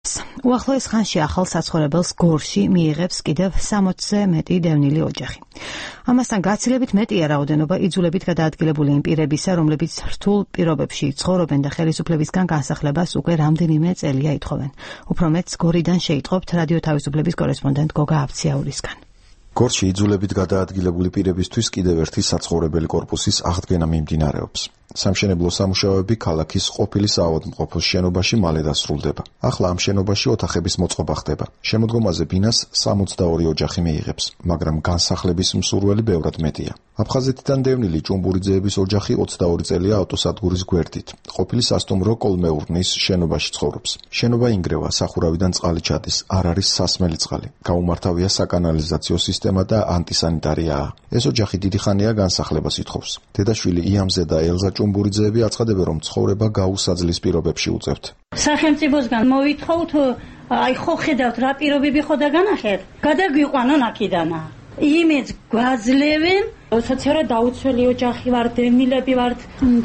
უახლოეს ხანში ახალ საცხოვრებელს გორში მიიღებს კიდევ 60-ზე მეტი დევნილი ოჯახი. ამასთან გაცილებით მეტია რაოდენობა იძულებით გადაადგილებული იმ პირებისა, რომლებიც რთულ პირობებში ცხოვრობენ და ხელისუფლებისგან განსახლებას უკვე რამდენიმე წელია ითხოვენ. უფრო მეტს გორიდან შეიტყობთ რადიო თავისუფლების კორესპონდენტ გოგა აბციაურისგან. გორში იძულებით გადაადგილებული პირებისთვის კიდევ ერთი საცხოვრებელი კორპუსის აღდგენა მიმდინარეობს. სამშენებლო სამუშაოები ქალაქის ყოფილი საავადმყოფოს შენობაში მალე დასრულდება. ახლა ამ შენობაში ოთახების მოწყობა ხდება. შემოდგომაზე ბინას 62 ოჯახი მიიღებს, მაგრამ განსახლების მსურველი ბევრად მეტია. აფხაზეთიდან დევნილი ჭუმბურიძეების ოჯახი 22 წელია ავტოსადგურის გვერდით. ყოფილი სასტუმრო კოლმეურნის შენობაში ცხოვრობს. შენობა ინგრევა, სახურავიდან წყალი ჩადის, არ არის სასმელი წყალი. გაუმართავია საკანალიზაციო სისტემა და ანტისანიტარიაა. ეს ოჯახი დიდი ხანია განსახლებას ითხოვს. დედაშვილი იამზე და ელზა ჭუმბურიძეები აცხადებენ, რომ ცხოვრება გაუსაძლის პირობებში უწევთ. სახელმწიფოსგან მოვითხოვთ, აი ხო ხედავთ რა პირობები ხო და განახეთ. გადაგვიყვანონ აქედანა. იმეც გვაძლევენ, სოციალურად დაუცველი ოჯახი ვართ, დევნილები ვართ.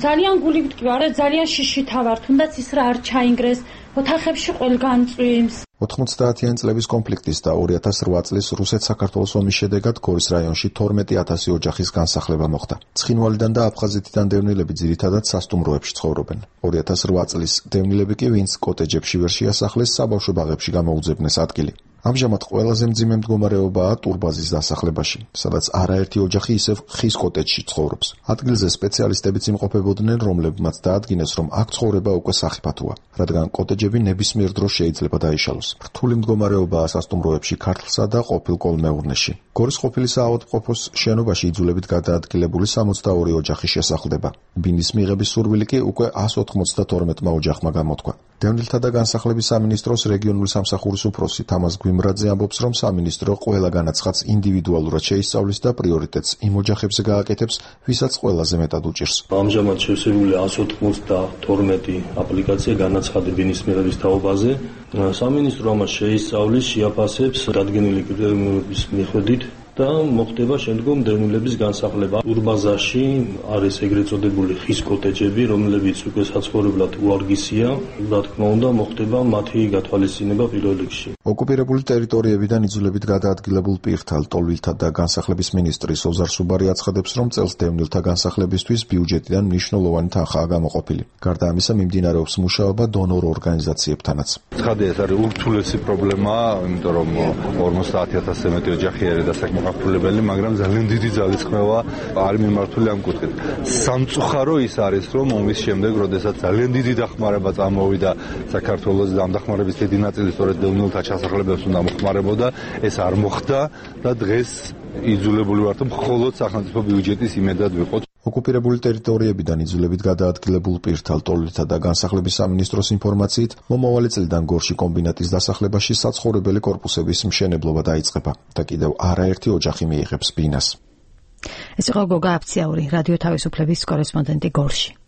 ძალიან გული ვდგარ, ძალიან შიშითა ვართ, თუნდაც ის რა არ ჩაინგრეს, ოთახებში ყველგან წვიმს. 90-იან წლების კონფლიქტის და 2008 წლის რუსეთ-საქართველოს ომის შედეგად გორის რაიონში 12,000 ოჯახის განსახლება მოხდა. ცხინვალიდან და აფხაზეთიდან დევნილები ძირითადად სასტუმროებში ცხოვრობენ. 2008 წლის დევნილები კი, ვინც კოტეჯებში ვერ შეასახლეს, საბავშვო ბაღებში გამოუძებნეს ადგილი. ამჟამად ყველაზე მძიმე მდგომარეობაა ტურბაზის დასახლებაში, სადაც არაერთი ოჯახი ისევ ხის კოტეჯში ცხოვრობს. ადგილზე სპეციალისტებიც იმყოფებოდნენ, რომლებმაც დაადგინეს, რომ აქ ცხოვრება უკვე სახიფათოა, რადგან კოტეჯები ნებისმიერ დროს შეიძლება დაიშალოს. რთული მდგომარეობაა სასტუმროებში ქართლსა და ყოფილ კოლმეურნეში. გორის ყოფილი საავადმყოფოს შენობაში იძულებით გადაადგილებული 62 ოჯახი შესახლდება. ბინის მიღების სურვილი კი უკვე 192 ოჯახმა გამოთქვა. დევნილთა და განსახლების სამინისტროს რეგიონული სამსახურის უფროსი თამაზ გვიმრაძე ამბობს, რომ სამინისტრო ყველა განაცხადს ინდივიდუალურად შეისწავლის და პრიორიტეტს იმ ოჯახებზე გააკეთებს, ვისაც ყველაზე მეტად უჭირს. ამჟამად შევსებულია 192 აპლიკაცია განაცხადი ბინის მიღების თაობაზე. სამინისტრო ამას შეისწავლის, შეაფასებს დადგენილი კრიტერიუმების მიხედვით და მოხდება შემდგომ დევნილების განსახლება. ტურბაზაში არის ეგრეთ წოდებული ხის კოტეჯები, რომლებიც უკვე საცხოვრებლად უარგისია. რა თქმა უნდა, მოხდება მათი გათვალისწინება პირველ რიგში. ოკუპირებული ტერიტორიებიდან იძულებით გადაადგილებულ პირთა, ლტოლვილთა და განსახლების მინისტრი სოზარ სუბარი აცხადებს, რომ წელს დევნილთა განსახლებისთვის ბიუჯეტიდან მნიშვნელოვანი თანხაა გამოყოფილი. გარდა ამისა, მიმდინარეობს მუშაობა დონორ ორგანიზაციებთანაც. ცხადია, ეს არის ურთულესი პრობლემა, იმიტომ რომ 50,000-ზე მეტი ოჯახი არის დასაკმაყოფილებელი, მაგრამ ძალიან დიდი ძალისხმევა არის მიმართული ამ კუთხით. სამწუხარო ის არის, რომ ომის შემდეგ, როდესაც ძალიან დიდი დახმარება წამოვიდა საქართველოს და ამ დახმარების დიდი ნაწილი სწორედ დევნილთა ჩასახლებებს უნდა მოხმარებოდა, ეს არ მოხდა და დღეს იძულებული ვართ, მხოლოდ სახელმწიფო ბიუჯეტის იმედად ვიყოთ. ოკუპირებული ტერიტორიებიდან იძულებით გადაადგილებულ პირთა, ლტოლვილთა და განსახლების სამინისტროს ინფორმაციით, მომავალი წლიდან გორში კომბინატის დასახლებაში საცხოვრებელი კორპუსების მშენებლობა დაიწყება და კიდევ არაერთი ოჯახი მიიღებს ბინას. ეს იყო გოგა აბციაური, რადიო თავისუფლების კორესპონდენტი გორში.